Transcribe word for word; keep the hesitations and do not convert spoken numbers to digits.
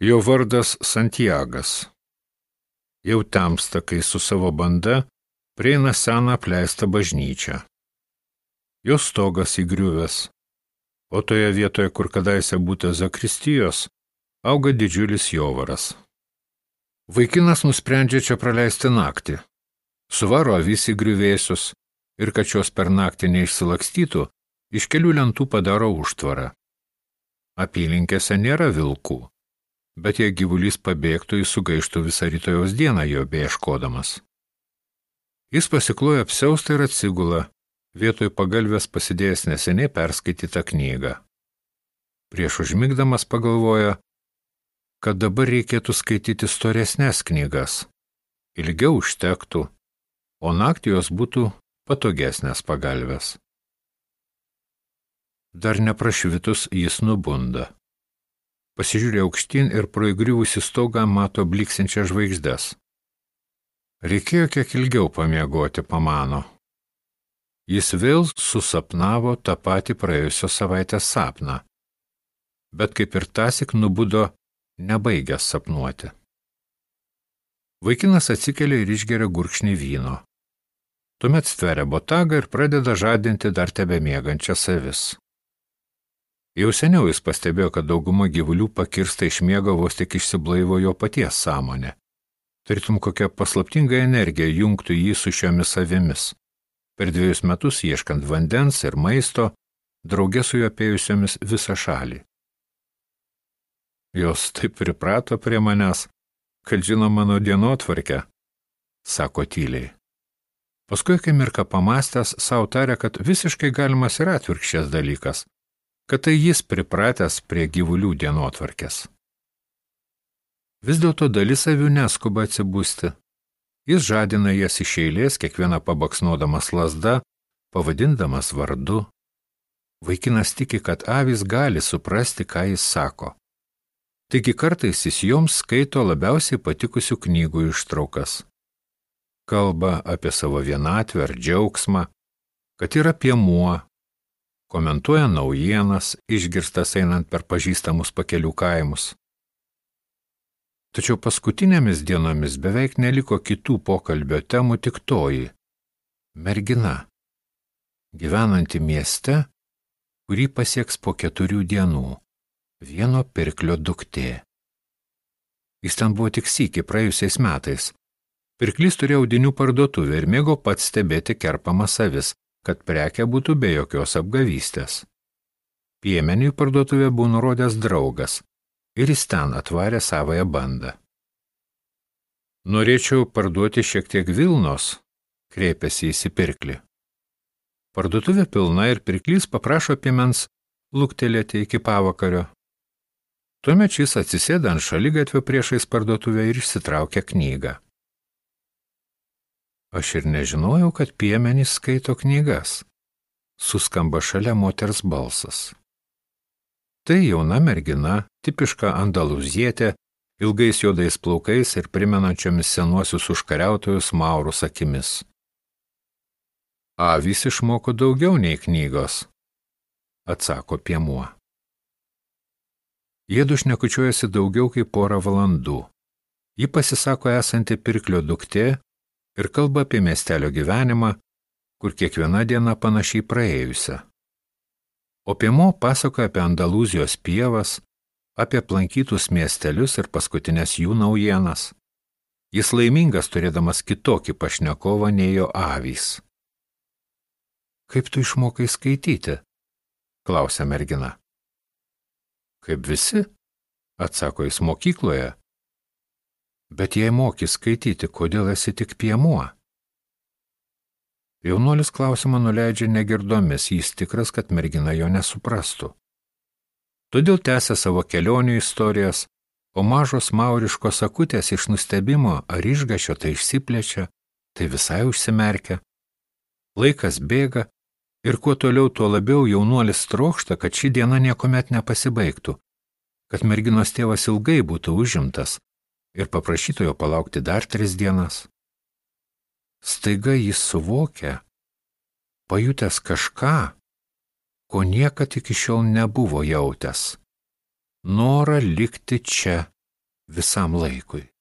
Jo vardas Santiagas. Jau temsta, kai su savo banda prieina seną apleistą bažnyčią. Jos stogas įgriuvęs, o toje vietoje, kur kadaise būta zakristijos, auga didžiulis jovaras. Vaikinas nusprendžia čia praleisti naktį. Suvaro avis į griuvėsius ir kad šios per naktį neišsilakstytų, iš kelių lentų padaro užtvarą. Apylinkėse nėra vilkų, bet jei gyvulys pabėgtų, jis sugaištų visą rytojaus dieną jo beieškodamas. Jis pasikloja apsiaustą ir atsigula, vietoj pagalvės pasidėjęs neseniai perskaitytą knygą. Prieš užmigdamas pagalvoja, kad dabar reikėtų skaityti storesnes knygas, ilgiau užtektų, o naktį jos būtų patogesnės pagalvės. Dar neprašvitus jis nubunda. Pasižiūrė aukštyn ir pro įgriuvusį stogą mato bliksinčias žvaigždes. Reikėjo kiek ilgiau pamiegoti, pamano. Jis vėl susapnavo tą patį praėjusios savaitės sapną, bet kaip ir tąsyk nubudo nebaigęs sapnuoti. Vaikinas atsikelia ir išgeria gurkšnį vyno. Tuomet stveria botagą ir pradeda žadinti dar tebemiegančias avis. Jau seniau jis pastebėjo, kad dauguma gyvulių pakirsta iš miego vos tik išsiblaivo jo paties sąmonė. Tarytum kokia paslaptinga energija jungtų jį su šiomis avimis. Per dviejus metus ieškant vandens ir maisto, drauge su juo apėjusiomis visą šalį. Jos taip priprato prie manęs, kad žino mano dienotvarkę, sako tyliai. Paskui akimirką pamastęs, sau tarė, kad visiškai galimas ir atvirkščias dalykas, kad tai jis pripratęs prie gyvulių dienotvarkės. Vis dėlto dalis avių neskuba atsibusti. Jis žadina jas iš eilės, kiekvieną pabaksnodamas lazda, pavadindamas vardu. Vaikinas tiki, kad avys gali suprasti, ką jis sako. Taigi kartais jis joms skaito labiausiai patikusių knygų ištraukas. Kalba apie savo vienatvę ar džiaugsmą, kad yra piemuo, komentuoja naujienas, išgirstas einant per pažįstamus pakelių kaimus. Tačiau paskutinėmis dienomis beveik neliko kitų pokalbio temų, tik toji – mergina, gyvenanti mieste, kurį pasieks po keturių dienų, vieno pirklio duktė. Jis ten buvo tik sykį praėjusiais metais. Pirklys turėjo audinių parduotuvę ir mėgo pats stebėti kerpamas avis, kad prekė būtų be jokios apgavystės. Piemeniui parduotuvė buvo nurodęs draugas ir jis ten atvarė savąją bandą. Norėčiau parduoti šiek tiek vilnos, kreipėsi į pirklį. Parduotuvė pilna ir pirklys paprašo piemens luktelėti iki pavakario. Tuomet šis atsisėda ant šaligatvio priešais parduotuvę ir išsitraukia knygą. Aš ir nežinojau, kad piemenys skaito knygas. Suskamba šalia moters balsas. Tai jauna mergina, tipiška andaluzietė, ilgais juodais plaukais ir primenančiomis senuosius užkariautojus maurus akimis. Avys išmoko daugiau nei knygos, atsako piemuo. Jiedu šnekučiuojasi daugiau kaip porą valandų. Ji pasisako esanti pirklio duktė ir kalba apie miestelio gyvenimą, kur kiekviena diena panašiai praėjusią. O piemuo pasakoja apie Andalūzijos pievas, apie aplankytus miestelius ir paskutinės jų naujienas. Jis laimingas turėdamas kitokį pašnekovą nei jo avys. Kaip tu išmokai skaityti? Klausia mergina. Kaip visi, atsako jis mokykloje. Bet jei moki skaityti, kodėl esi tik piemuo? Jaunuolis klausimą nuleidžia negirdomis, jis tikras, kad mergina jo nesuprastų. Todėl tęsia savo kelionių istorijas, o mažos mauriškos akutės iš nustebimo ar išgašio tai išsiplečia, tai visai užsimerkia. Laikas bėga ir kuo toliau, tuo labiau jaunuolis trokšta, kad ši diena niekuomet nepasibaigtų, kad merginos tėvas ilgai būtų užimtas ir paprašytų jo palaukti dar tris dienas. Staiga jis suvokia, pajutęs kažką, ko niekad iki šiol nebuvo jautęs. Norą likti čia, visam laikui.